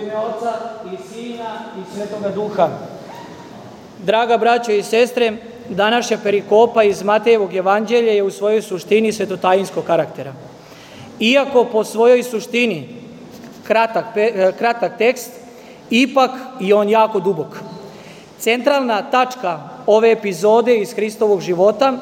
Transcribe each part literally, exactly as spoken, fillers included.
ime Oca i Sina i Svetoga Duha. Draga braćo i sestre, današnja perikopa iz Matejevog evanđelja je u svojoj suštini svetotajinskog karaktera. Iako po svojoj suštini kratak, kratak tekst, ipak i on jako dubok. Centralna tačka ove epizode iz Hristovog života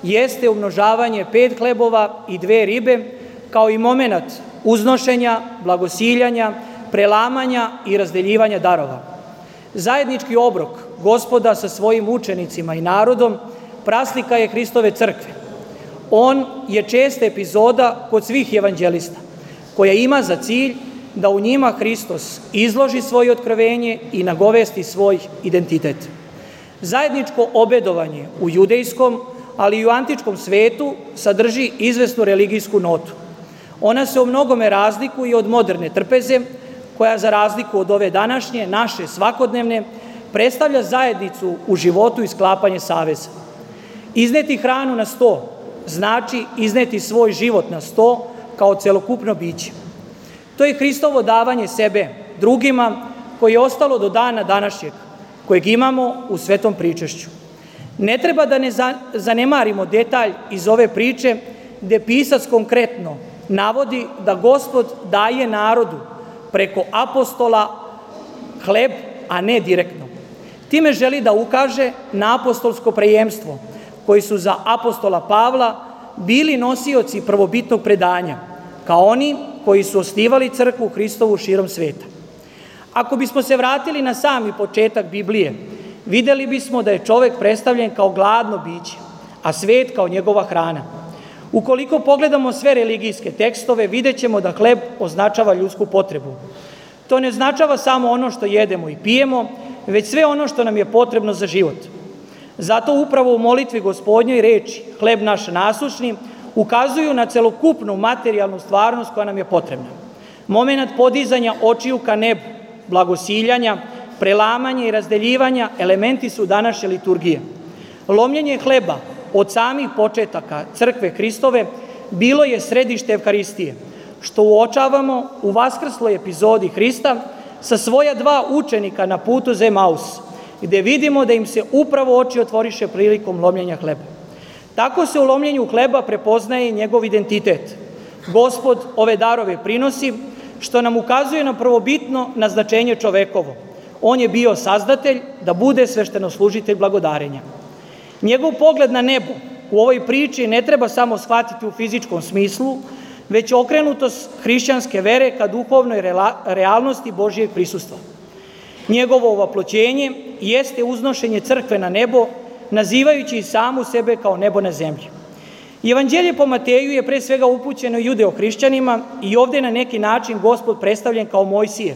jeste umnožavanje pet hlebova i dve ribe, kao i momenat uznošenja, blagosiljanja, prelamanja i razdeljivanja darova. Zajednički obrok Gospoda sa svojim učenicima i narodom praslika je Hristove crkve. On je česta epizoda kod svih evanđelista, koja ima za cilj da u njima Hristos izloži svoje otkrovenje i nagovesti svoj identitet. Zajedničko obedovanje u judejskom, ali i u antičkom svetu sadrži izvesnu religijsku notu. Ona se u mnogome razlikuje od moderne trpeze, koja za razliku od ove današnje, naše svakodnevne, predstavlja zajednicu u životu i sklapanje saveza. Izneti hranu na sto znači izneti svoj život na sto kao celokupno biće. To je Hristovo davanje sebe drugima, koje je ostalo do dana današnjeg, kojeg imamo u svetom pričešću. Ne treba da ne zanemarimo detalj iz ove priče, gde pisac konkretno navodi da Gospod daje narodu preko apostola hleb, a ne direktno. Time želi da ukaže na apostolsko prejemstvo, koji su za apostola Pavla bili nosioci prvobitnog predanja, kao oni koji su osnivali crkvu Hristovu širom sveta. Ako bismo se vratili na sami početak Biblije, videli bismo da je čovek predstavljen kao gladno biće, a svet kao njegova hrana. Ukoliko pogledamo sve religijske tekstove, vidjet ćemo da hleb označava ljudsku potrebu. To ne označava samo ono što jedemo i pijemo, već sve ono što nam je potrebno za život. Zato upravo u molitvi Gospodnjoj reči hleb naš nasušni ukazuju na celokupnu materijalnu stvarnost koja nam je potrebna. Momenat podizanja očiju ka nebu, blagosiljanja, prelamanja i razdeljivanja elementi su današnje liturgije. Lomljenje hleba od samih početaka crkve Hristove bilo je središte Evharistije, što uočavamo u vaskrsloj epizodi Hrista sa svoja dva učenika na putu za Emaus, gde vidimo da im se upravo oči otvoriše prilikom lomljenja hleba. Tako se u lomljenju hleba prepoznaje njegov identitet. Gospod ove darove prinosi, što nam ukazuje na prvobitno naznačenje čovekovo. On je bio sazdatelj da bude sveštenoslužitelj blagodarenja. Njegov pogled na nebo u ovoj priči ne treba samo shvatiti u fizičkom smislu, već okrenutost hrišćanske vere ka duhovnoj realnosti Božijeg prisustva. Njegovo ovaploćenje jeste uznošenje crkve na nebo, nazivajući i samu sebe kao nebo na zemlji. Evanđelje po Mateju je pre svega upućeno judeo-hrišćanima i ovde je na neki način Gospod predstavljen kao Mojsije,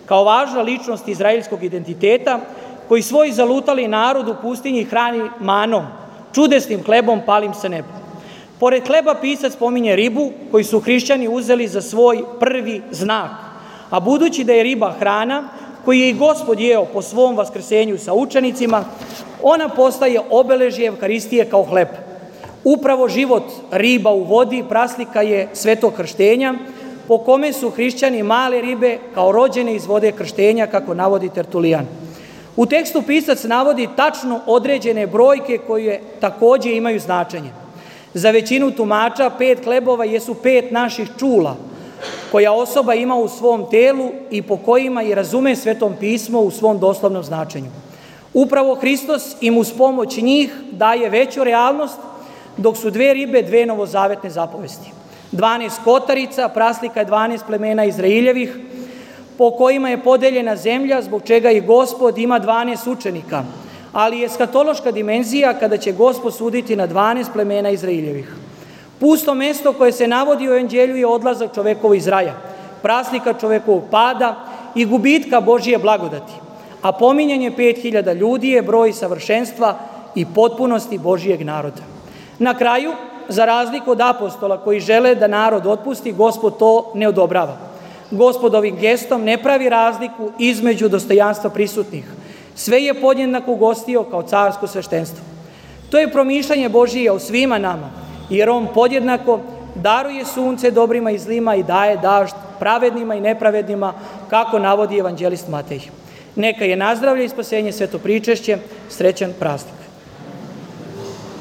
kao važna ličnost izraelskog identiteta, koji svoj zalutali narod u pustinji hrani manom, čudesnim hlebom palim sa neba. Pored hleba pisac pominje ribu, koju su hrišćani uzeli za svoj prvi znak, a budući da je riba hrana, koju je i Gospod jeo po svom vaskrsenju sa učenicima, ona postaje obeležje Evharistije kao hleb. Upravo život riba u vodi praslika je svetog krštenja, po kome su hrišćani male ribe kao rođene iz vode krštenja, kako navodi Tertulijan. U tekstu pisac navodi tačno određene brojke koje takođe imaju značenje. Za većinu tumača pet hlebova jesu pet naših čula, koja osoba ima u svom telu i po kojima i razume Svetom pismo u svom doslovnom značenju. Upravo Hristos im uz pomoć njih daje veću realnost, dok su dve ribe dve novozavetne zapovesti. Dvanaest kotarica, praslika je dvanaest plemena Izraeljevih, po kojima je podeljena zemlja, zbog čega i Gospod ima dvanaest učenika, ali je eskatološka dimenzija kada će Gospod suditi na dvanaest plemena Izraeljevih. Pusto mesto koje se navodi u evanđelju je odlazak čovekovo iz raja, praslika čovekovog pada i gubitka Božije blagodati, a pominjanje pet hiljada ljudi je broj savršenstva i potpunosti Božijeg naroda. Na kraju, za razliku od apostola koji žele da narod otpusti, Gospod to ne odobrava. Gospod ovim gestom ne pravi razliku između dostojanstva prisutnih. Sve je podjednako ugostio kao carsko sveštenstvo. To je promišljanje Božije o svima nama, jer on podjednako daruje sunce dobrima i zlima i daje dažd pravednima i nepravednima, kako navodi evanđelist Matej. Neka je nazdravlje i spasenje sveto pričešće, srećan praznik.